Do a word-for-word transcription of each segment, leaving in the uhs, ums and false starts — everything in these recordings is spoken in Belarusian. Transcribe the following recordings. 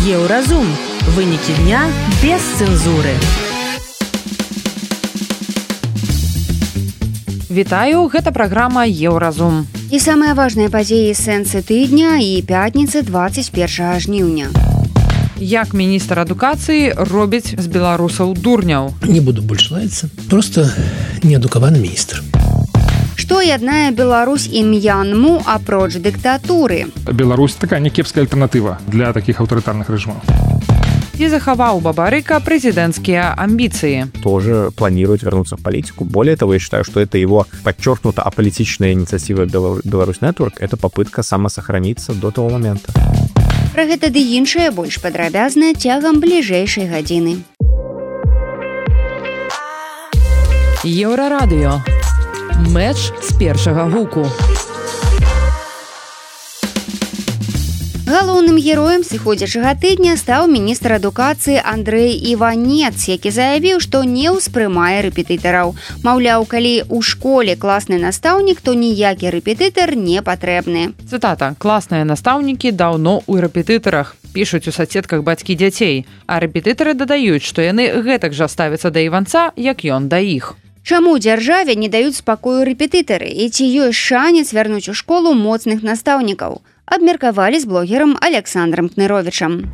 Еўразум. Вынікі дня без цэнзуры. Вітаю, гэта праграма Еўразум. І самыя важныя падзеі сэнсы тыдня і пятніцы двадцать первого жніўня. Як міністр адукацыі робіць з беларусаў дурняў? Не буду больш лаяцца, просто неадукаваны міністр. Што яднае Беларусь і М'янму апроч дыктатуры? Беларусь такая некепская альтэрнатыва для таких аўтарытарных рэжимаў. Ці захаваў Бабарыка прэзідэнцкія амбіцыі? Тоже планирует вернуться в политику. Более того, я считаю, что это его подчеркнуто аполитичная инициатива Беларусь Network. Это попытка самосохраниться до того момента. Пра гэта ды іншае больш падрабязна цягам бліжэйшай гадзіны. Еўрарадыё. Мэч з першага гуку. Галоўным героем сыходзячага тыдня стаў міністр адукацыі Андрэй Іванец, які заявіў, што не ўспрымае рэпетытараў. Маўляў, калі ў школе класны настаўнік, то ніякі рэпетытар не патрэбны. Цытата. Класныя настаўнікі даўно ў рэпетытарах. Пішуць у соцсетках бацькі дзяцей. А рэпетытары дадаюць, што яны гэтак жа ставяцца да Іванца, як ён да іх. Чаму дзяржаве не даюць спакою рэпетытары? І ці ёсць шанец вярнуць у школу моцных настаўнікаў? Обмерковали с блогером Александром Кныровичем.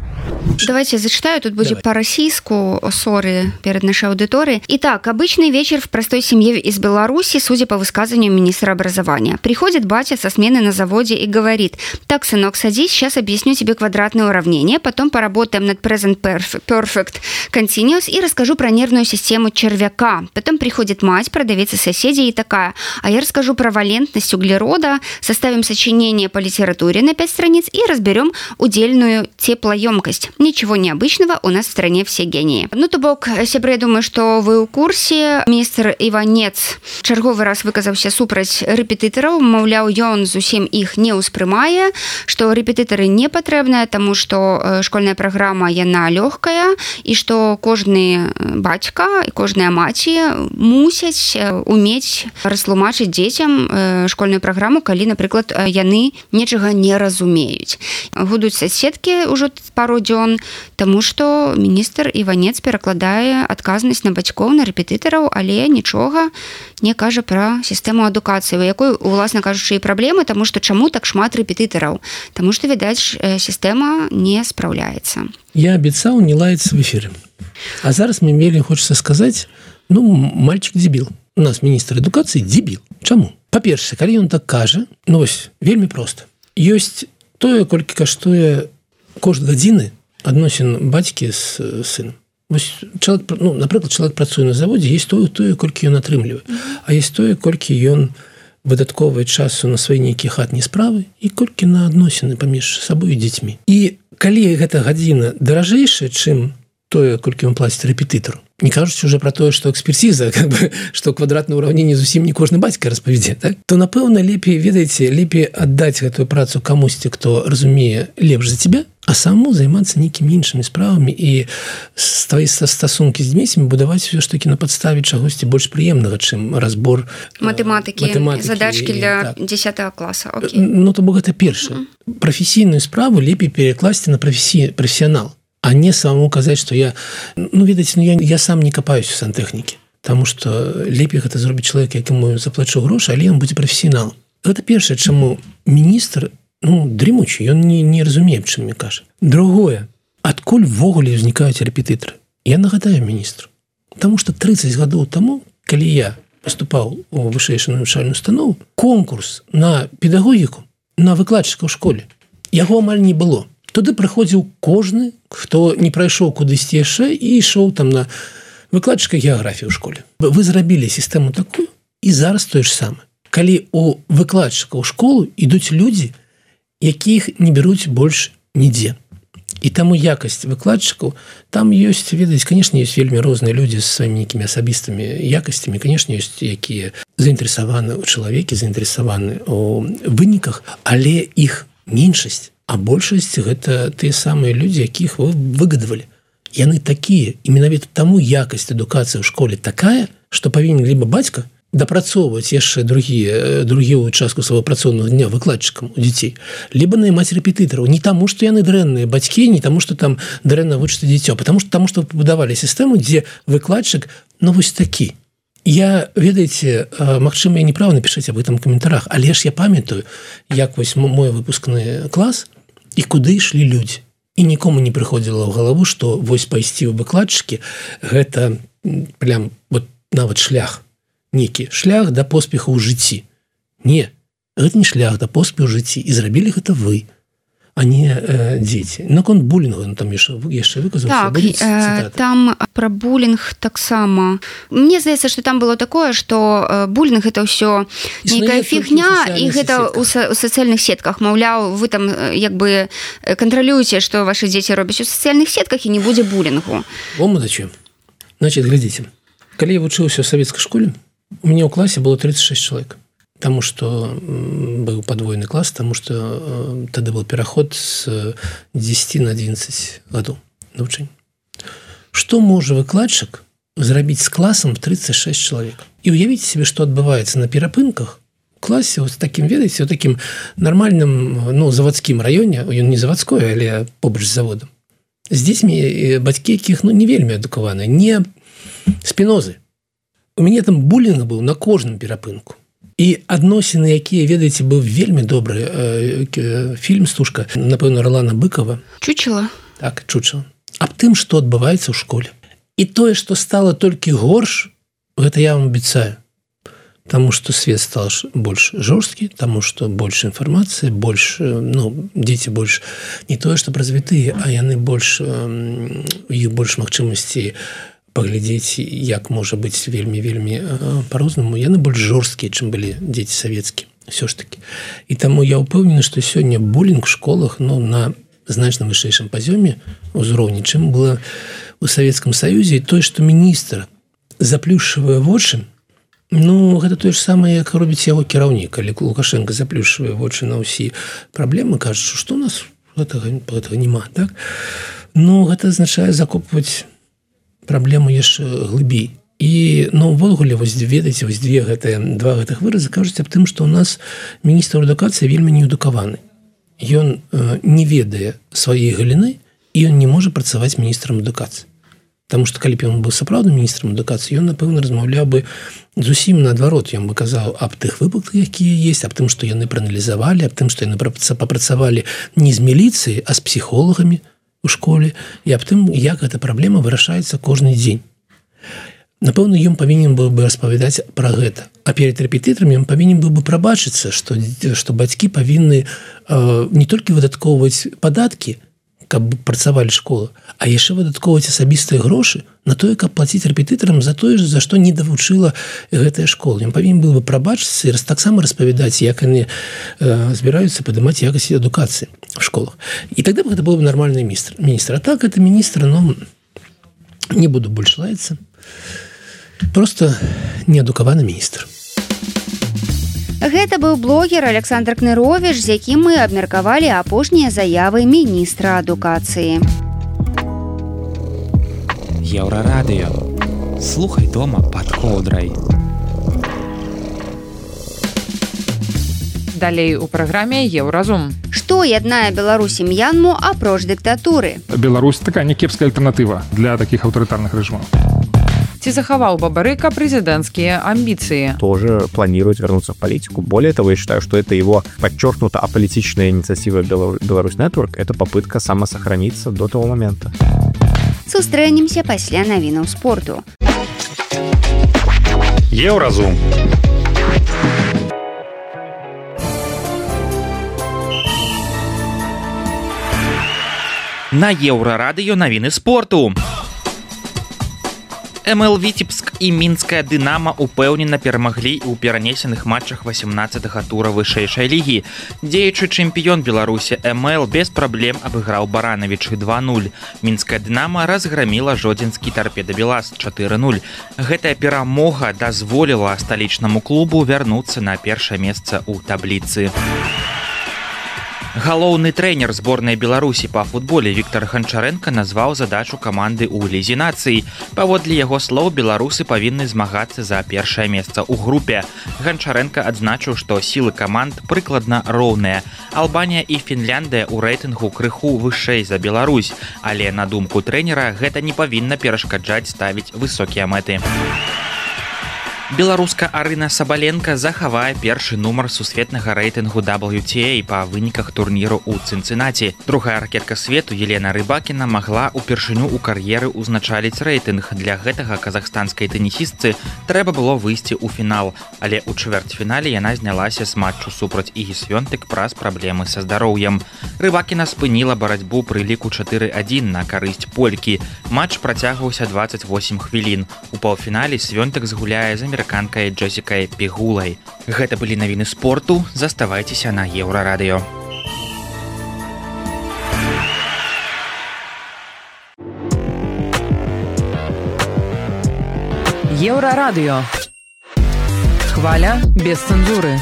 Давайте я зачитаю, тут будет по-российску, ссоры перед нашей аудиторией. Итак, обычный вечер в простой семье из Беларуси, судя по высказыванию министра образования. Приходит батя со смены на заводе и говорит: так, сынок, садись, сейчас объясню тебе квадратное уравнение, потом поработаем над present perfect continuous и расскажу про нервную систему червяка. Потом приходит мать, продавец и соседи и такая: а я расскажу про валентность углерода, составим сочинение по литературе на пять страниц и разберем удельную теплоемкость. Ничего необычного, у нас в стране все гении. Ну, то бок, сябры, я думаю, что вы ў курсе. Міністр Іванец чарговы раз выказаўся супраць рэпетытараў, маўляў, ён зусім іх не ўспрымае, што рэпетытары не патрэбныя, таму што школьная праграма яна лёгкая і што кожны бацька і кожная маці мусяць умець растлумачыць дзецям школьную праграму, калі, напрыклад, яны нечага не разумеюць. Гудуць соцсеткі ўжо пару дзён, таму што міністр Іванец перакладае адказнасць на бацькоў, на рэпетытараў, але нічога не кажа пра сістэму адукацыі, у якой, уласна кажучы, і праблемы, таму што чаму так шмат рэпетытараў? Таму што, відаць, сістэма не спраўляецца. Я абяцаў не лаяцца в эфире. А зараз мне вельмі хочется сказаць, ну, мальчик дебіл. У нас міністр адукацыі дебіл. Чаму? Па-першае, калі ён так кажа, ну вось, вельмі проста. Ёсць тое, колькі каштуе кошт гадзіны адносін бацькі з сынам. Вось чалавек, ну, напрыклад, чалавек працуе на заводзе, есть тое, тое, колькі ён атрымлівае, а есть тое, колькі ён выдаткоўвае часу на свае нейкія хатнія справы і колькі на адносіны паміж сабой і дзецьмі. І калі гэта гадзіна даражэйшая, чым тое, колькі ён плаціць рэпетытару, не кажуць уже про тое, што экспертиза, как бы, што квадратнае ўраўненне зусім не кожны бацька распавядзе, так? То, напэўна, лепей, ведаеце, лепей аддаць гэтую працу камусьці, хто разумее лепш за тебя, а самому займацца нейкімі іншымі справамі і свае стасункі з дзецьмі будаваць все ж таки на падставе чагосьці больш прыемнага, чым разбор матэматыкі, матэматыкі задачкі для так. дзесятага класа. Окей. Ну, то бок гэта першае. Mm-hmm. Прафесійную справу лепей перакласці на професі... професіянал, а не самому казаць, што я, ну, ведаеце, ну, я, я сам не капаюсь у сантэхнікі, таму што лепей гэта зробіць чалавек, якому заплачу грошы, але ён будзе прафесіяналам. Гэта першае, чаму міністр, ну, дрымучы, ён не, не разумее, чым мне кажа. Другое, адкуль ввогуле ўзнікаюць рэпетытары? Я нагадаю міністру, таму што тридцать гадоў таму, калі я паступаў у вышэйшую навучальную установу, конкурс на педагогіку, на выкладчыка ў школе, яго амаль не было. Туды прыходзіў кожны, хто не прайшоў кудысьці яшчэ і ішоў там на выкладчыка геаграфіі ў школе. Вы зрабілі сістэму такую, і зараз тое ж самае. Калі у выкладчыка ў школу ідуць людзі, якіх не бяруць больш нідзе. І таму якасць выкладчыкаў, там ёсць, ведаць, конечно, ёсць вельмі розныя людзі з сваімі нейкімі асабістымі якасцямі, конечно, ёсць якія заінтарэсаваны ў чалавеке, заінтарэсаваны ў выніках, але іх меншасць. А большасць гэта тыя самыя людзі, якіх вы выгадавалі. Яны такія, і менавіта таму якасць адукацыі ў школе такая, што павінен либо бацька, дапрацоўваць яшчэ другія другую частку свайго працоўнага дня выкладчыкам у дзяцей, либо наймаць рэпетытараў не таму, што яны дрэнныя бацькі, не таму, што там дрэнна вучыцца дзіцё, потому што таму, што пабудавалі сістэму, дзе выкладчык, ну вось такі. Я, ведаеце, магчыма, я неправа напішыць аб гэтым у каментарах, але ж я памятаю, як вось мой выпускны клас і куды ішлі людзі. І нікому не прыходзіла ў галаву, што вось пайсці ў выкладчыкі гэта прям вот нават шлях. Некі шлях да поспеху ў жыцці. Не, гэта не шлях да поспеху ў жыцці. І зрабілі гэта вы, а не э, дзеці. Наконт булінгу, ну, там яшчэ, яшчэ выказаўся. Так, э, там пра булінг таксама. Мне здаецца, што там было такое, што э, булінг гэта ўсё нейкая фігня, і гэта ў, са, ў сацыяльных сетках. Маўляў, вы там як бы кантралюеце, што вашы дзеці робяць у сацыяльных сетках, і не будзе булінгу. О, мудачы. Значит, глядзіце. Калі я вучыўся ў савецкай школе, у меня ў класе было тридцать шесть человек, потому что был подвойный класс, потому что э, тогда был переход с десяти на одиннадцать гадоў навучання. Что можа выкладчык зрабіць с классом в тридцать шесть человек? И уявите себе, что отбывается на перапынках в классе вот с таким, ведаеце, вот таким нормальным, ну, заводским районе, он не заводской, але побач з заводом. З дзецьмі бацькі, якіх, ну, не вельмі адукаваныя, не спінозы. У мяне там булінг быў на кожным перапынку. І адносіны, якія, ведаеце, быў вельмі добры э, фільм «Стужка», напэўна, Ролана Быкова. Чучела. Так, чучела. Аб тым, што адбываецца ў школе. І тое, што стала толькі горш, гэта я вам абяцаю. Таму што свет стал больш жорсткі, таму што больш інфармацыі, больш, ну, дзеці больш не тое, што развітыя, а яны больш, у іх больш магчымасці паглядзець, як можа быць вельмі-вельмі па-рознаму. Яны больш жорсткія, чым былі дзеці савецкія, ўсё ж такі. І таму я ўпэўнены, што сёння булінг в школах, ну, на значна вышэйшым пазёме ўзроўні, чым было ў Савецкім Саюзе. І тое, што міністр заплюшчвае вочы, ну, гэта тое ж самае, як робіць яго кіраўнік. Калі Лукашенко заплюшчвае вочы на ўсе праблемы, кажа, што ў нас гэтага, гэтага няма, так? Ну, гэта азначае закопваць праблему яшчэ глыбей. І, ну, ўвогуле, вось, ведаеце, вось две гэтыя, два гэтых выразы кажуць аб тым, што ў нас міністр адукацыі вельмі неадукаваны. Ён э, не ведае сваёй галіны, і ён не можа працаваць міністрам адукацыі. Таму што, калі б ён быў сапраўдным міністрам адукацыі, ён, напэўна, размаўляў бы зусім наадварот. Ён бы казаў аб тых выпадках, якія ёсць, аб тым, што яны прааналізавалі, аб тым, што яны папрацавалі не з міліцыяй, а з псіхолагамі у школе, і аб тым, як эта праблема вырашаецца кожны дзень. Напэўна, ён павінен быў бы распавядаць пра гэта. А перед рэпетытарамі ён павінен быў бы прабачыцца, што, што бацькі павінны э, не толькі выдаткоўваць падаткі, каб працавалі школы, а яшчэ выдаткоўваць асабістыя грошы на тое, каб плаціць рэпетытарам за тое, за што не давучыла гэтая школа. Ён павінен быў бы прабачыцца і таксама распавядаць, як яны э, збіраюцца падымаць якасць адукацыі в школах. І тогда бы гэта быў бы нармальны міністр. міністр. А так, это міністр, ну, не буду больш лаяцца, просто неадукаваны міністр. Гэта быў блогер Александр Кныровіч, з якім мы абмеркавалі апошнія заявы міністра адукацыі. Еўрарадыё. Слухай дома пад коўдрай. Далей у праграме Еўразум. Што яднае Беларусь і М'янму апроч дыктатуры? Беларусь такая някепская альтэрнатыва для такіх аўтарытарных рэжымаў. Ці захаваў Бабарыка президентские амбиции? Тоже планирует вернуться в политику. Более того, я считаю, что это его подчеркнуто аполитичная инициатива Беларусь Network. Это попытка самосохраниться до того момента. Сустрэнемся пасля навінаў спорту. Еўразум. На Еўрарадыё навіны спорту. эм эл Віцебск і мінская Дынама упэўнена перамаглі ў перанесеных матчах васемнаццатага тура вышэйшай лігі. Дзеючы чэмпіён Беларусі эм эл без праблем абыграў Баранавічы два нуль. Мінская Дынама разграміла жодзінскі Торпеда Белаз чатыры нуль. Гэтая перамога дазволіла сталічнаму клубу вярнуцца на першае месца ў табліцы. Галоўны трэнер зборнай Беларусі па футболе Віктор Ганчаренко назваў задачу каманды ў лізе нацый. Паводле яго слоў, беларусы павінны змагацца за першае месца ў групе. Ганчаренко адзначыў, што сілы каманд прыкладна роўныя. Албанія і Фінляндыя ў рэйтынгу крыху вышэй за Беларусь, але на думку трэнера гэта не павінна перашкаджаць ставіць высокія мэты. Беларуска Арына Сабаленко захавае першы нумар сусветнага рэйтынгу дабл ю ти эй па выніках турніру ў Цынцынаці. Другая ракетка свету Елена Рыбакіна магла упершыню ў кар'еры ўзначаліць рэйтынг. Для гэтага казахстанскай тэнісістцы трэба было выйсці ў фінал, але ў чвэрцьфінале яна знялася з матчу супраць Ігі Свёнтык праз праблемы са здароўем. Рыбакіна спыніла барацьбу пры ліку чатыры адзін на карысць полькі. Матч працягваўся дваццаць восем хвілін. У паўфінале Свёнтык згуляе з амерыканкай Джесікай Пегулай. Гэта былі навіны спорту. Заставайцеся на Еўрарадыё. Еўрарадыё. Хваля без цэнзуры.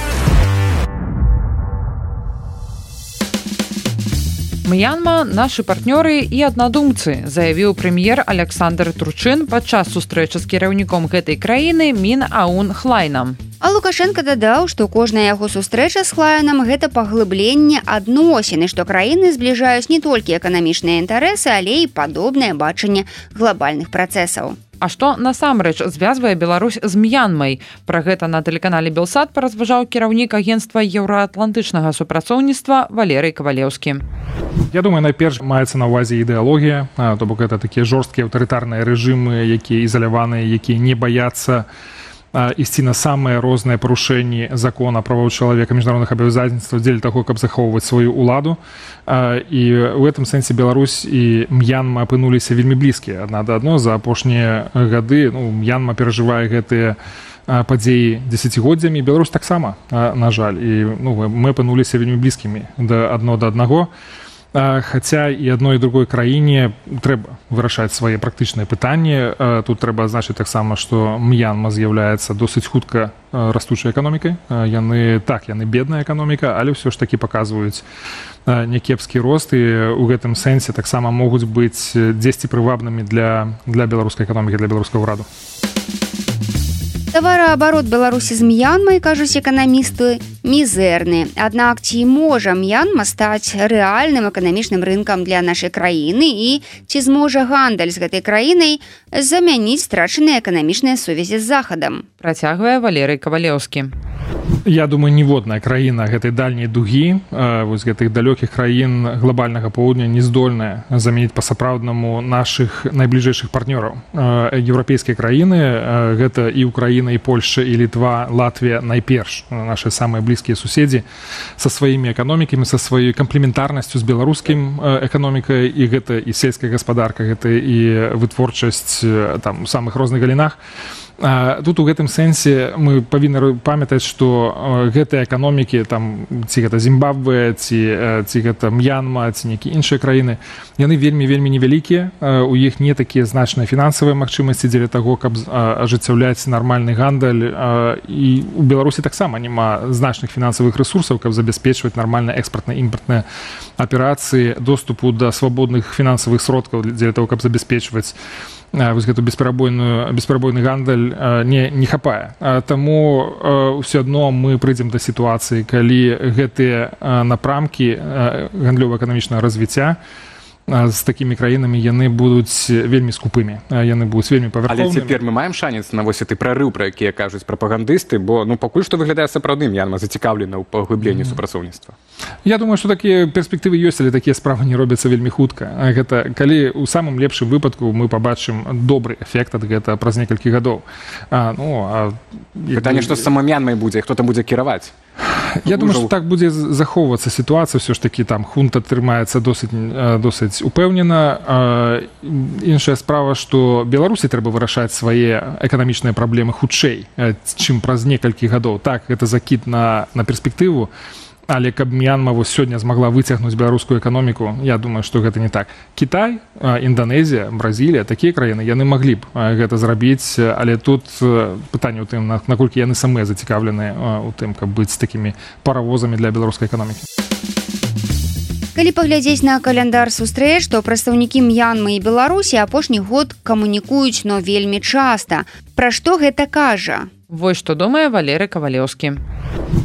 Мьянма – нашы партнёры і аднадумцы, заявіў прэм'ер Александр Турчин падчас сустрэчы з кіраўніком гэтай краіны Мін Аун Хлайнам. А Лукашенко дадаў, што кожная яго сустрэча з Хлайнам – гэта паглыбленне адносін, і што краіны збліжаюць не толькі эканамічныя інтарэсы, але і падобнае бачанне глобальных працэсаў. А што насамрэч звязвае Беларусь з Мьянмай? Пра гэта на тэлеканале Белсат паразважаў кіраўнік агенцтва еўраатлантычнага супрацоўніцтва Валерый Кавалеўскі. Я думаю, найперш маецца на ўвазе ідэалогія, то бок гэта такія жорсткія аўтарытарныя рэжымы, якія ізаляваныя, якія не баяцца ісці на самыя розныя парушэнні закона правоў чалавека, міжнародных абавязацельстваў дзеля таго, каб захоўваць сваю ўладу. І ў гэтым сэнсе Беларусь і Мьянма апынуліся вельмі блізкія адна да адно. За апошнія гады ну, Мьянма перажывае гэтыя падзеі дзесяцігоддзямі, Беларусь таксама, на жаль. І ну, мы апынуліся вельмі блізкімі да адно да аднаго. Хаця і адной і другой краіне трэба вырашаць свае практычныя пытанні. Тут трэба адзначыць таксама, што Мьянма з'яўляецца досыць хутка растучай эканомікай. Яны так, яны бедная эканоміка, але ўсё ж такі паказваюць някепскі рост, і ў гэтым сэнсе таксама могуць быць дзесьці прывабнымі для, для беларускай эканомікі, для беларускага ўраду. Тавараабарот Беларусі з Мьянмай, кажуць эканамісты, мізэрны. Аднак ці можа Мьянма стаць рэальным эканамічным рынкам для нашай краіны і ці зможа гандаль з гэтай краінай замяніць страчаныя эканамічныя сувязі з Захадам? Працягвае Валерый Кавалеўскі. Я думаю, ніводная краіна гэтай дальняй дугі, вось гэтых далёкіх краін глобальнага поўдня не здольная замяніць па-сапраўднаму нашых найбліжэйшых партнёраў. Еўрапейскія краіны, гэта і Украіна, і Польшча, і Літва, Латвія найперш, нашы самыя блізкія суседзі са сваімі эканомікамі, са сваёй камплементарнасцю з беларускім эканомікай, і гэта і сельская гаспадарка, гэта і вытворчасць там у самых розных галінах. Тут у гэтым сэнсе мы павінны памятаць, што гэтыя эканомікі, там, ці гэта Зімбабве, ці, ці гэта Мьянма, ці нейкія іншыя краіны, яны вельмі-вельмі невялікія, у іх не такія значныя фінансавыя магчымасці дзеля таго, каб ажыццяўляць нармальны гандаль, і у Беларусі таксама няма значных фінансавых рэсурсаў, каб забяспечваць нармальныя экспартна-імпартныя аперацыі, доступу да свабодных фінансавых сродкаў дзеля таго, каб забяспечваць вось гэту бесперабойную бесперабойны гандаль не, не хапае. Таму ўсё адно мы прыйдзем да сітуацыі, калі гэтыя напрамкі гандлёва-эканамічнага развіцця з такімі краінамі яны будуць вельмі скупымі, яны будуць вельмі павярхоўнымі. Але цяпер мы маем шанец на вось гэты прарыў, пра якія кажуць прапагандысты, бо ну пакуль што выглядае сапраўдным, Мьянма зацікаўлена ў паглыбленні mm. супрацоўніцтва. Я думаю, што такія перспектывы ёсць, але такія справы не робяцца вельмі хутка. Гэта калі ў самым лепшым выпадку мы пабачым добры эфект ад гэта праз некалькі гадоў. А, ну, а... Пытанне, што з самой Мьянмай будзе, хто там будзе кіраваць? Я думаю, што так будзе захоўвацца сітуацыя, ўсё ж такі там хунта трымаецца досыць, досыць упэўнена. Іншая справа, што Беларусі трэба вырашаць свае эканамічныя праблемы хутчэй, чым праз некалькі гадоў. Так, гэта закід на, на перспектыву, але каб Мьянма вось сёння змагла выцягнуць беларускую эканоміку, я думаю, што гэта не так. Кітай, Інданезія, Бразілія, такія краіны, яны маглі б гэта зрабіць, але тут пытанне ў тым, наколькі яны самыя зацікаўленыя ў тым, каб быць такімі паравозамі для беларускай эканомікі. Калі паглядзець на каляндар сустрэч, то прадстаўнікі М'янмы і Беларусі апошні год камунікуюць, но вельмі часта. Пра што гэта кажа? Вось што думае Валерый Кавалеўскі.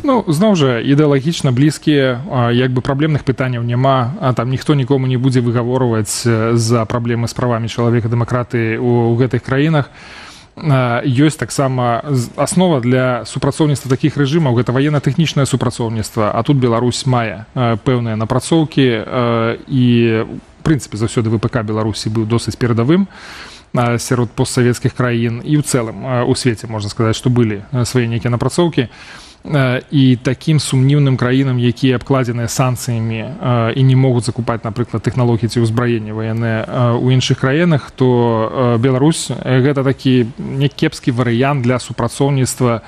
Ну, зноў жа, ідэалагічна блізкія, як бы праблемных пытанняў няма, а там ніхто нікому не будзе выгаворваць за праблемы з правамі чалавека, дэмакраты ў гэтых краінах. Ёсць таксама аснова для супрацоўніцтва такіх рэжымаў, гэта ваенна-тэхнічнае супрацоўніцтва, а тут Беларусь мае пэўныя напрацоўкі і, в прынцыпе, заўсёды ВПК Беларусі быў досыць перадавым сярод постсавецкіх краін і ў цэлым у свеце, можна сказаць, што былі свае нейкія напрацоўкі. І такім сумнівным краінам, якія абкладзеныя санкцыямі і не могуць закупаць, напрыклад, тэхналогіі ці ўзбраенне ваенныя ў іншых краінах, то Беларусь гэта такі някепскі варыянт для супрацоўніцтва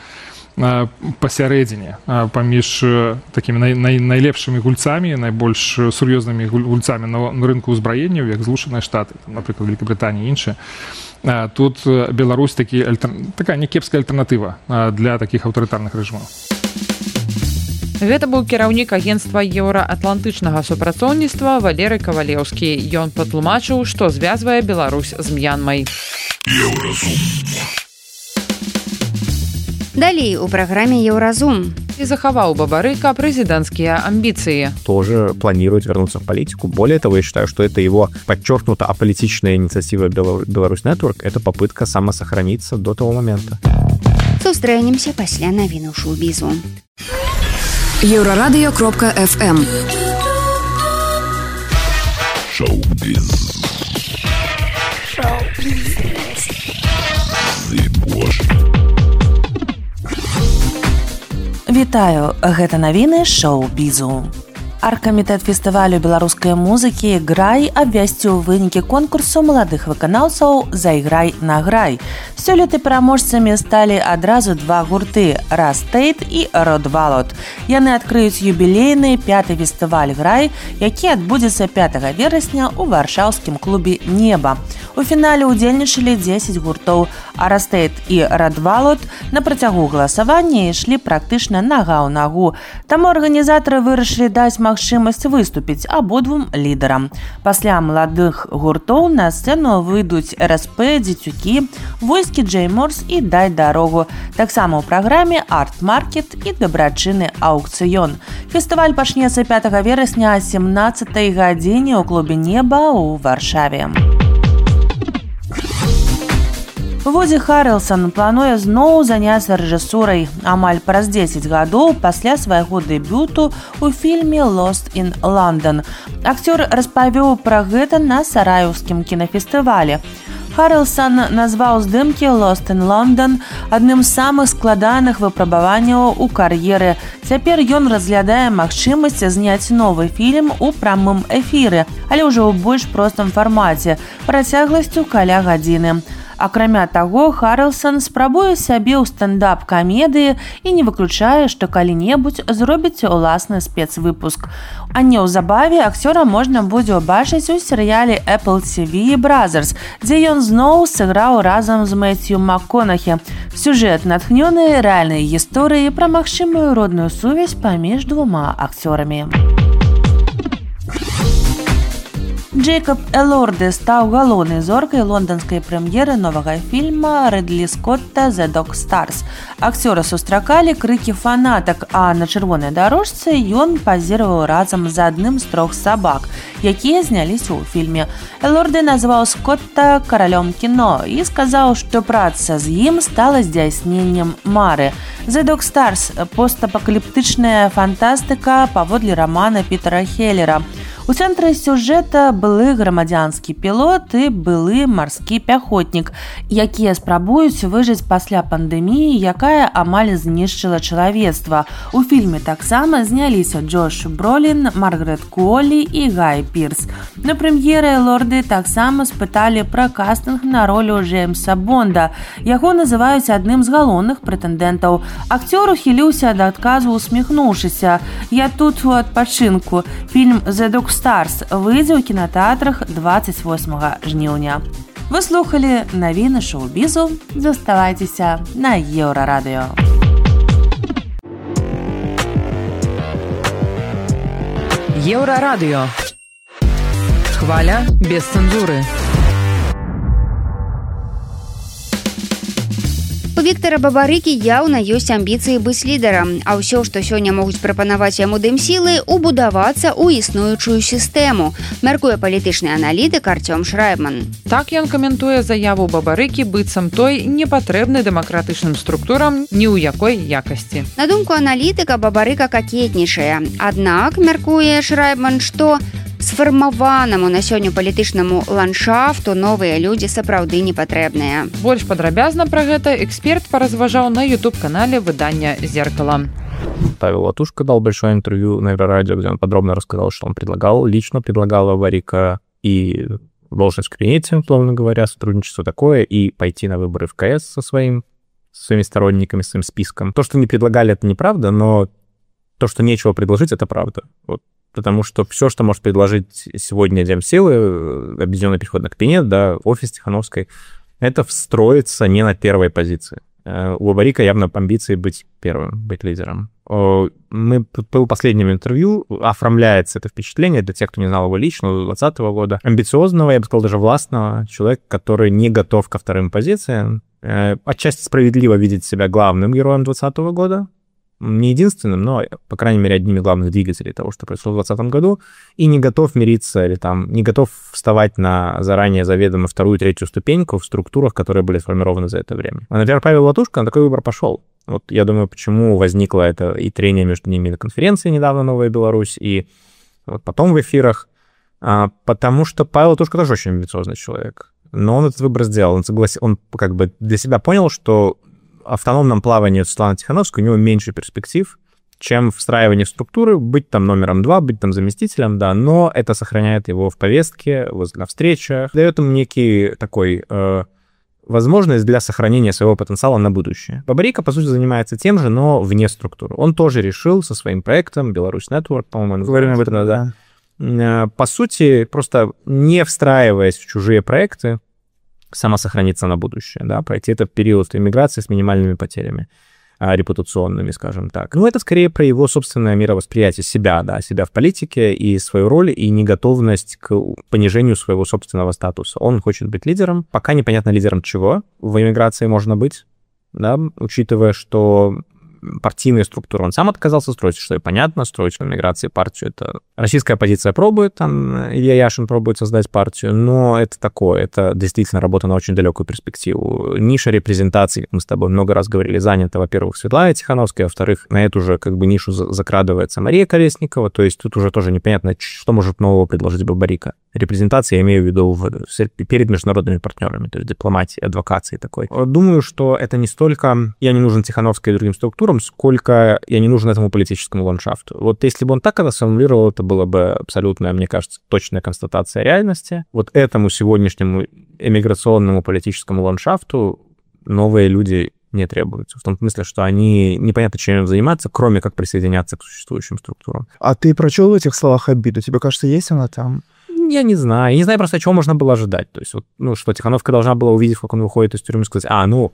пасярэдзіне паміж такімі най, най, найлепшымі гульцамі, найбольш сур'ёзнымі гульцамі на, на рынку ўзбраенняў, як Злучаныя Штаты, напрыклад, Великабрытанія і іншыя. Тут Беларусь такі, такая някепская альтэрнатыва для такіх аўтарытарных рэжымаў. Гэта быў кіраўнік агенцтва еўраатлантычнага супрацоўніцтва Валерый Кавалеўскі. Ён патлумачыў, што звязвае Беларусь з М'янмай. Далей у праграме «Еўразум». И захаваў Бабарыка президентские амбиции. Тоже планирует вернуться в политику. Более того, я считаю, что это его подчеркнуто аполитичная инициатива Беларусь Network. Это попытка самосохраниться до того момента. Сустрэнемся пасля навіну шоу-бізу. Еўрарадыё кропка эф эм. Шоу-біз. Шоу-біз. Вітаю, гэта навіны шоу-бізу. Аргкамітэт фестывалю беларускай музыкі «Грай» абвясціў вынікі конкурсу маладых выканаўцаў «Зайграй на грай». Сёлета пераможцамі сталі адразу два гурты «Растейт» і «Родвалот». Яны адкрыюць юбілейны пяты фестываль «Грай», які адбудзецца пятага верасня ў варшаўскім клубе «Неба». У фінале ўдзельнічалі дзесяць гуртоў, а «Растейт» і «Родвалот» на працягу галасавання ішлі практычна нага ў нагу. Таму арганізатары вырашылі даць магчымасць выступіць абодвум лідарам. Пасля маладых гуртоў на сцэну выйдуць эр эс пэ, Дзецюкі, Войскі Джей Морс і Дай дарогу. Таксама ў праграме арт-маркет і дабрачынны аўкцыён. Фестываль пачнецца пятага верасня о сямнаццатай гадзіне ў клубе «Неба» ў Варшаве. Вуді Харрэлсон плануе зноў заняцца рэжысурай амаль праз дзесяць гадоў пасля свайго дэбюту ў фільме «Lost in London». Акцёр распавёў пра гэта на сараеўскім кінафестывалі. Харрэлсон назваў здымкі «Lost in London» адным з самых складаных выпрабаванняў у кар'еры. Цяпер ён разглядае магчымасць зняць новы фільм у прамым эфіры, але ўжо ў больш простым фармаце, працягласцю каля гадзіны. Акрамя таго, Харрэлсон спрабуе сябе ў стендап-камедыі і не выключае, што калі-небудзь зробіць уласны спецвыпуск. А неўзабаве акцёра можна будзе ўбачыць у серыяле Apple ти ви Brothers, дзе ён зноў сыграў разам з Мэцью МакКонахі. Сюжэт натхнёны рэальнай гісторыяй пра магчымую родную сувязь паміж двума акцёрамі. Джейкоб Элорди стаў галоўнай зоркай лонданскай прэм'еры новага фільма Рыдлі Скотта «The Dog Stars». Акцёра сустракалі крыкі фанатак, а на чырвонай дарожцы ён пазіраваў разам з адным з трох сабак, якія зняліся ў фільме. Элорди назваў Скотта каралём кіно і сказаў, што праца з ім стала здзяйсненнем мары. «The Dog Stars» – постапакаліптычная фантастыка паводле рамана Пітера Хеллера. У цэнтры сюжэта былы грамадзянскі пілот і былы марскі пяхотнік, якія спрабуюць выжыць пасля пандэміі, якая амаль знішчыла чалавецтва. У фільме таксама зняліся Джош Бролін, Маргарет Куолі і Гай Пірс. На прэм'еры Элорди таксама спыталі пра кастынг на ролю Джеймса Бонда. Яго называюць адным з галоўных прэтэндэнтаў. Акцёр ухіліўся ад адказу, усміхнуўшыся: «Я тут у адпачынку. Фільм «The Dog Stars» выйдзе ў кінатэатрах двадцать восьмага жніўня. Вы слухалі навіны шоу-бізу. Заставайцеся на Еўрарадыё. Еўрарадыё. Хваля без цэнзуры. У Віктара Бабарыкі яўна ёсць амбіцыі быць лідарам, а ўсё, што сёння могуць прапанаваць яму дымсілы, убудавацца ў існуючую сістэму, мяркуе палітычны аналітык Артём Шрайбман. Так ён каментуе заяву Бабарыкі быццам той не патрэбны дэмакратычным структурам ні ў якой якасці. На думку аналітыка, Бабарыка какетнічае. Аднак, мяркуе Шрайбман, што сфармаванаму на сёння палітычнаму ландшафту новыя людзі сапраўды не патрэбныя. Больш падрабязна пра гэта эксперт паразважаў на ютуб-канале выдання «Зеркало». Павел Латушко дал большое интервью на Еврорадио, где он подробно рассказал, что он предлагал, лично предлагал Бабарика и должность в кабинете, условно говоря, сотрудничество такое, и пойти на выборы в КС со своим, со своими сторонниками, своим списком. То, что не предлагали, это неправда, но то, что нечего предложить, это правда. Вот. Потому что все, что может предложить сегодня Демсилы, объединенный переходный кабинет, да, офис Тихановской, это встроится не на первой позиции. У Бабарика явно амбиции быть первым, быть лидером. Мы было последнем интервью, оформляется это впечатление для тех, кто не знал его лично, двадцатого года. Амбициозного, я бы сказал, даже властного человека, который не готов ко вторым позициям. Отчасти справедливо видеть себя главным героем двадцатого года. Не единственным, но, по крайней мере, одним из главных двигателей того, что произошло в двадцатом году, и не готов мириться или там не готов вставать на заранее заведомо вторую, третью ступеньку в структурах, которые были сформированы за это время. А, например, Павел Латушко на такой выбор пошел. Вот я думаю, почему возникло это и трение между ними на конференции недавно «Новая Беларусь», и вот потом в эфирах, а, потому что Павел Латушко тоже очень амбициозный человек. Но он этот выбор сделал, он согласился, он как бы для себя понял, что автономном плавании Светланы Тихановской у него меньше перспектив, чем встраивание в структуры, быть там номером два, быть там заместителем, да, но это сохраняет его в повестке, на встречах, дает ему некий такой э, возможность для сохранения своего потенциала на будущее. Бабарика, по сути, занимается тем же, но вне структуры. Он тоже решил со своим проектом Беларусь Network, по-моему, говорим об этом, да, э, по сути, просто не встраиваясь в чужие проекты, самосохраниться на будущее, да, пройти этот период иммиграции с минимальными потерями а, репутационными, скажем так. Ну, это скорее про его собственное мировосприятие себя, да, себя в политике и свою роль, и неготовность к понижению своего собственного статуса. Он хочет быть лидером, пока непонятно лидером чего в иммиграции можно быть, да, учитывая, что партийные структуры он сам отказался строить, что и понятно, строить в эмиграции партию. Это российская оппозиция пробует, там Илья Яшин пробует создать партию, но это такое, это действительно работа на очень далекую перспективу. Ниша репрезентации, как мы с тобой много раз говорили, занята, во-первых, Светлана Тихановская, во-вторых, на эту же как бы нишу закрадывается Мария Колесникова, то есть тут уже тоже непонятно, что может нового предложить Бабарика. Репрезентация, я имею в виду в, перед международными партнерами, то есть дипломатии, адвокации такой. Думаю, что это не столько я не нужен Тихановской и другим структурам, сколько я не нужен этому политическому ландшафту. Вот если бы он так это сформулировал, это было бы абсолютно, мне кажется, точная констатация реальности. Вот этому сегодняшнему эмиграционному политическому ландшафту новые люди не требуются. В том смысле, что они непонятно, чем им заниматься, кроме как присоединяться к существующим структурам. А ты прочел в этих словах обиду? Тебе кажется, есть она там? Я не знаю. Я не знаю просто, чего можно было ожидать. То есть, вот, ну, что Тихановская должна была увидеть, как он выходит из тюрьмы, и сказать, а, ну,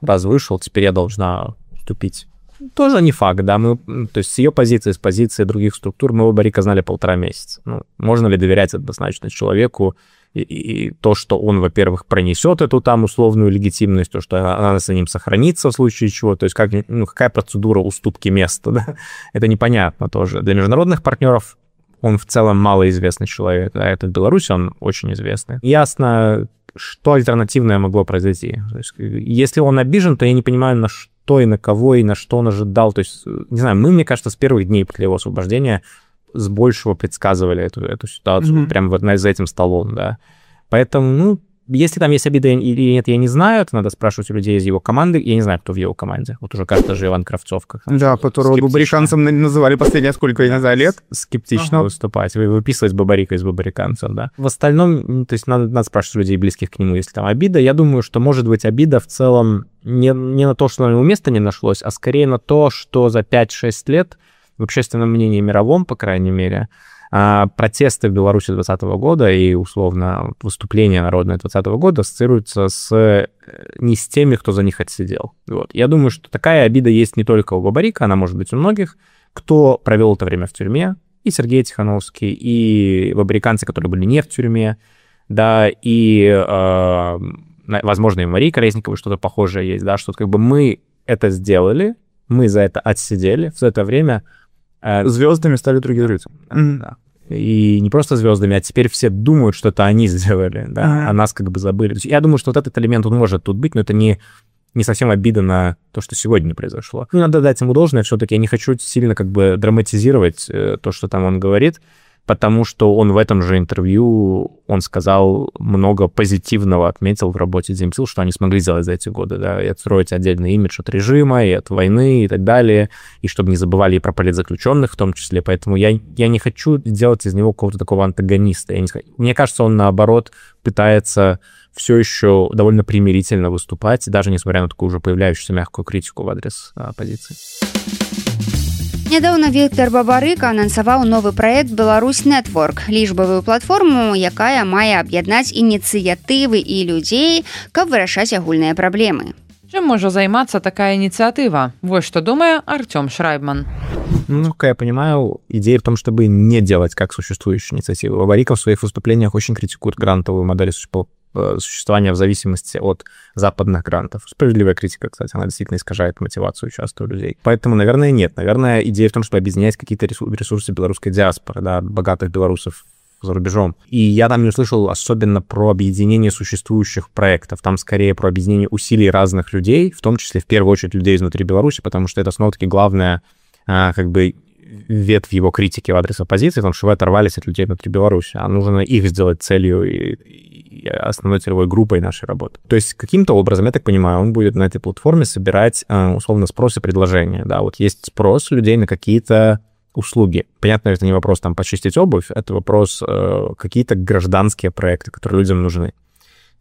раз вышел, теперь я должна уступить. Тоже не факт, да. Мы, то есть с ее позиции, с позиции других структур мы Бабарика знали полтора месяца. Ну, можно ли доверять однозначно человеку и, и, и то, что он, во-первых, пронесет эту там условную легитимность, то, что она за ним сохранится в случае чего, то есть как, ну, какая процедура уступки места, да? Это непонятно тоже. Для международных партнеров он в целом малоизвестный человек, да, это в Беларуси он очень известный. Ясно, что альтернативное могло произойти. То есть, если он обижен, то я не понимаю, на что и на кого, и на что он ожидал. То есть, не знаю, мы, мне кажется, с первых дней после его освобождения с большего предсказывали эту, эту ситуацию, mm-hmm. прямо вот за этим столом, да. Поэтому, ну, если там есть обида или нет, я не знаю, это надо спрашивать у людей из его команды. Я не знаю, кто в его команде. Вот уже кажется же Иван Кравцов. Как да, которого бабариканцем называли последние сколько лет. Скептично ага. выступать, выписывать Бабарика из бабариканцев, да. В остальном, то есть надо, надо спрашивать людей, близких к нему, если там обида. Я думаю, что может быть обида в целом не, не на то, что на него места не нашлось, а скорее на то, что за пять-шесть лет в общественном мнении мировом, по крайней мере, протесты в Беларуси двадцатого года и, условно, выступления народные двадцатого года ассоциируются с, не с теми, кто за них отсидел. Вот. Я думаю, что такая обида есть не только у Бабарика, она может быть у многих, кто провел это время в тюрьме, и Сергей Тихановский, и бабариканцы, которые были не в тюрьме, да, и, э, возможно, и Марии Колесниковой что-то похожее есть, да, что как бы мы это сделали, мы за это отсидели, в это время... Э, звездами стали другие люди. Mm-hmm. Да. И не просто звездами, а теперь все думают, что это они сделали, да, uh-huh. а нас как бы забыли. Я думаю, что вот этот элемент, он может тут быть, но это не, не совсем обида на то, что сегодня произошло. Ну, надо дать ему должное все-таки. Я не хочу сильно как бы драматизировать э, то, что там он говорит, потому что он в этом же интервью, он сказал много позитивного, отметил в работе Земсил, что они смогли сделать за эти годы, да, и отстроить отдельный имидж от режима, и от войны, и так далее, и чтобы не забывали и про политзаключенных в том числе, поэтому я, я не хочу делать из него какого-то такого антагониста. Я не... Мне кажется, он, наоборот, пытается все еще довольно примирительно выступать, даже несмотря на такую уже появляющуюся мягкую критику в адрес оппозиции. Нядаўна Віктор Бабарыка анансаваў новы праект «Беларусь Нетворк» – лічбавую платформу, якая мае аб'яднаць ініцыятывы і людзей, каб вырашаць агульныя праблемы. Чым можа займацца такая инициатива? Вот что думает Артем Шрайбман. Ну, как я понимаю, идея в том, чтобы не делать как существующие инициативы. Бабарика в своих выступлениях очень критикует грантовую модель существования в зависимости от западных грантов. Справедливая критика, кстати, она действительно искажает мотивацию часто у людей. Поэтому, наверное, нет. Наверное, идея в том, чтобы объединять какие-то ресурсы белорусской диаспоры, да, богатых белорусов за рубежом. И я там не услышал особенно про объединение существующих проектов. Там скорее про объединение усилий разных людей, в том числе, в первую очередь, людей изнутри Беларуси, потому что это, снова-таки, главное, как бы, ветвь его критики в адрес оппозиции, потому что вы оторвались от людей внутри Беларуси, а нужно их сделать целью и, и основной целевой группой нашей работы. То есть каким-то образом, я так понимаю, он будет на этой платформе собирать, условно, спрос и предложения. Да, вот есть спрос людей на какие-то услуги. Понятно, это не вопрос там почистить обувь, это вопрос э, какие-то гражданские проекты, которые людям нужны.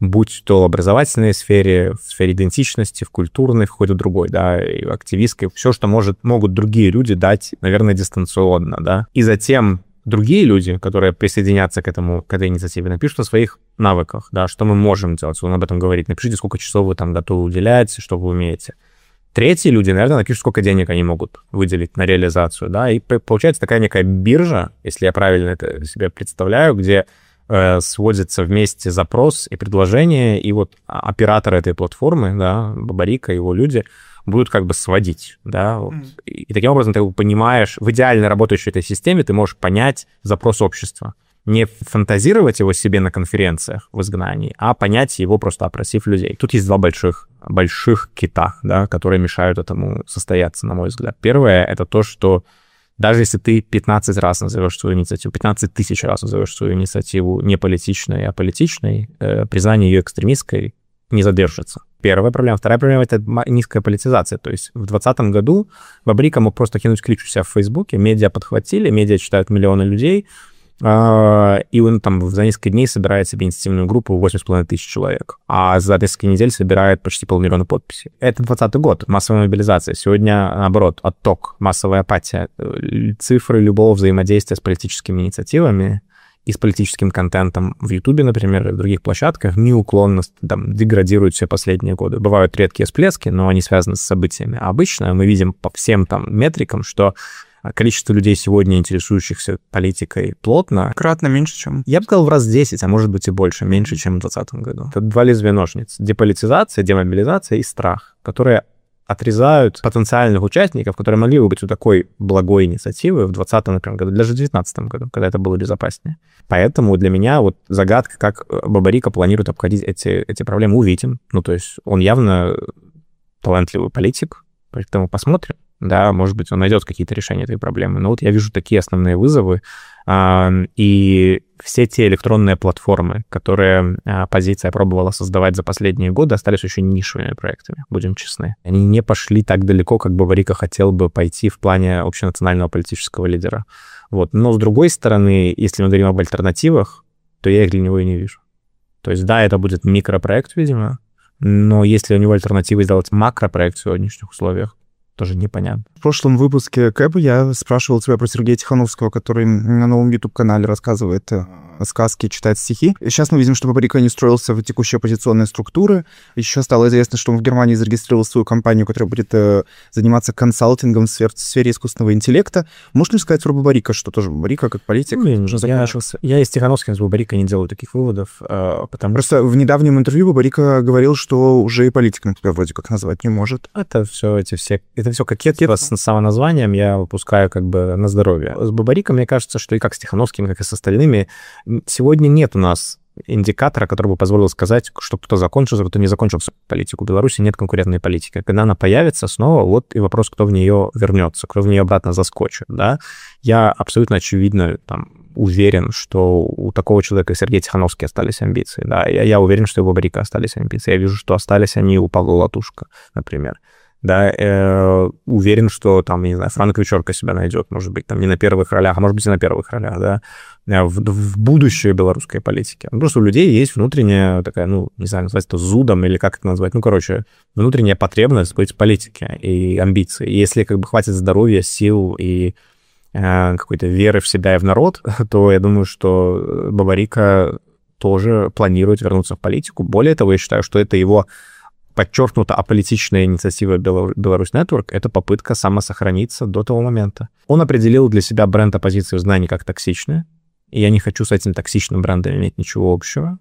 Будь то в образовательной сфере, в сфере идентичности, в культурной, в какой-то другой, да, и в активистской. Все, что может, могут другие люди дать, наверное, дистанционно, да. И затем другие люди, которые присоединятся к этому, к этой инициативе, напишут о своих навыках, да, что мы можем делать, он об этом говорит. Напишите, сколько часов вы там готовы уделять, что вы умеете. Третьи люди, наверное, напишут, сколько денег они могут выделить на реализацию, да, и получается такая некая биржа, если я правильно это себе представляю, где э, сводится вместе запрос и предложение, и вот операторы этой платформы, да, Бабарика, его люди, будут как бы сводить, да, вот. mm. и, и таким образом ты понимаешь, в идеально работающей этой системе ты можешь понять запрос общества. Не фантазировать его себе на конференциях в изгнании, а понять его, просто опросив людей. Тут есть два больших, больших кита, да, которые мешают этому состояться, на мой взгляд. Первое — это то, что даже если ты пятнадцать раз назовешь свою инициативу, пятнадцать тысяч раз назовешь свою инициативу не политичной, а политичной, э, признание ее экстремистской не задержится. Первая проблема. Вторая проблема — это низкая политизация. То есть в двадцатом году Бабарика мог просто кинуть клич у себя в Фейсбуке, медиа подхватили, медиа читают миллионы людей, и он там за несколько дней собирает себе инициативную группу восемь с половиной тысяч человек, а за несколько недель собирает почти полмиллиона подписей. Это двадцатый год, массовая мобилизация. Сегодня, наоборот, отток, массовая апатия. Цифры любого взаимодействия с политическими инициативами и с политическим контентом в Ютубе, например, и в других площадках неуклонно там деградируют все последние годы. Бывают редкие всплески, но они связаны с событиями. А обычно мы видим по всем там метрикам, что количество людей сегодня, интересующихся политикой плотно... Кратно меньше, чем... Я бы сказал, в раз десять, а может быть и больше, меньше, чем в двадцатом году. Это два лезвия ножниц. Деполитизация, демобилизация и страх, которые отрезают потенциальных участников, которые могли бы быть у такой благой инициативы в двадцатом, например, году, даже в девятнадцатом году, когда это было безопаснее. Поэтому для меня вот загадка, как Бабарика планирует обходить эти, эти проблемы, увидим. Ну, то есть он явно талантливый политик, поэтому посмотрим. Да, может быть, он найдет какие-то решения этой проблемы. Но вот я вижу такие основные вызовы. И все те электронные платформы, которые оппозиция пробовала создавать за последние годы, остались очень нишевыми проектами, будем честны. Они не пошли так далеко, как Бабарика хотел бы пойти в плане общенационального политического лидера. Вот. Но, с другой стороны, если мы говорим об альтернативах, то я их для него и не вижу. То есть, да, это будет микропроект, видимо, но если у него альтернативы сделать макропроект в сегодняшних условиях, тоже непонятно. В прошлом выпуске Кэба я спрашивал тебя про Сергея Тихановского, который на новом YouTube-канале рассказывает сказки, читает стихи. И сейчас мы видим, что Бабарика не устроился в текущие оппозиционные структуры. Еще стало известно, что он в Германии зарегистрировал свою компанию, которая будет э, заниматься консалтингом в сфере, в сфере искусственного интеллекта. Можно ли сказать про Бабарика, что тоже Бабарика как политик ну, уже закончился? Я, я из Тихановским с Бабарика не делаю таких выводов, э, потому Просто что... в недавнем интервью Бабарика говорил, что уже и политиком тебя вроде как назвать не может. Это все эти все... Это все кокетство с самоназванием я выпускаю как бы на здоровье. С Бабариком, мне кажется, что и как с Тихановским, как и с остальными, сегодня нет у нас индикатора, который бы позволил сказать, что кто-то закончил, кто-то не закончил политику. В Беларуси нет конкурентной политики. Когда она появится снова, вот и вопрос, кто в нее вернется, кто в нее обратно заскочит. Да? Я абсолютно очевидно там, уверен, что у такого человека, Сергея Тихановский, остались амбиции. Да? Я, я уверен, что у Бабарика остались амбиции. Я вижу, что остались они у Павла Латушка, например. Да, э, уверен, что там, не знаю, Франк Вечерка себя найдет, может быть, там не на первых ролях, а может быть и на первых ролях, да, в, в будущее белорусской политики. Просто у людей есть внутренняя такая, ну, не знаю, назвать это зудом или как это назвать, ну, короче, внутренняя потребность быть в политике и амбиции. И если как бы хватит здоровья, сил и э, какой-то веры в себя и в народ, то я думаю, что Бабарика тоже планирует вернуться в политику. Более того, я считаю, что это его подчеркнуто аполитичная инициатива Беларусь Network — это попытка самосохраниться до того момента. Он определил для себя бренд оппозиции в знании как токсичный, и я не хочу с этим токсичным брендом иметь ничего общего.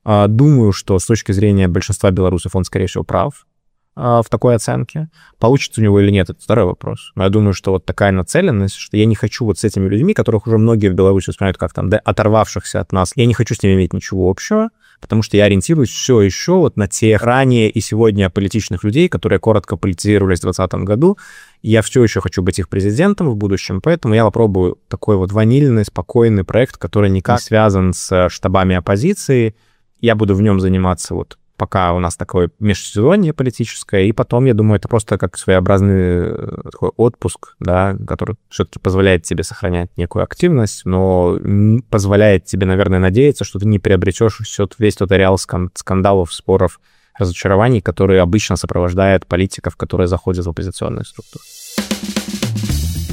Думаю, что с точки зрения большинства белорусов он, скорее всего, прав в такой оценке. Получится у него или нет, это второй вопрос. Но я думаю, что вот такая нацеленность, что я не хочу вот с этими людьми, которых уже многие в Беларуси воспринимают как там, да, оторвавшихся от нас, я не хочу с ними иметь ничего общего, потому что я ориентируюсь все еще вот на тех ранее и сегодня политичных людей, которые коротко политизировались в двадцатом году. И я все еще хочу быть их президентом в будущем, поэтому я попробую такой вот ванильный, спокойный проект, который никак не связан с штабами оппозиции. Я буду в нем заниматься вот пока у нас такое межсезонье политическое, и потом, я думаю, это просто как своеобразный такой отпуск, да, который все-таки позволяет тебе сохранять некую активность, но позволяет тебе, наверное, надеяться, что ты не приобретешь весь тот ареал скандалов, споров, разочарований, которые обычно сопровождают политиков, которые заходят в оппозиционные структуры.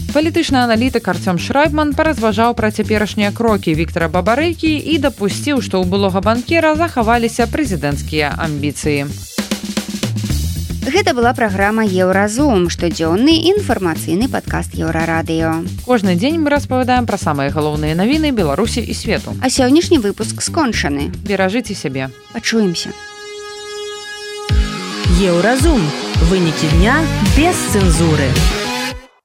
Палітычны аналітык Артём Шрайбман паразважаў пра цяперашнія крокі Віктара Бабарыкі і дапусціў, што ў былога банкера захаваліся прэзідэнцкія амбіцыі. Гэта была праграма «Еўразум», штодзённы інфармацыйны падкаст Еўрарадыё. Кожны дзень мы распавядаем пра самыя галоўныя навіны Беларусі і свету. А сённяшні выпуск скончаны. Беражыце сябе. Пачуемся. Еўразум. Вынікі дня без цэнзуры.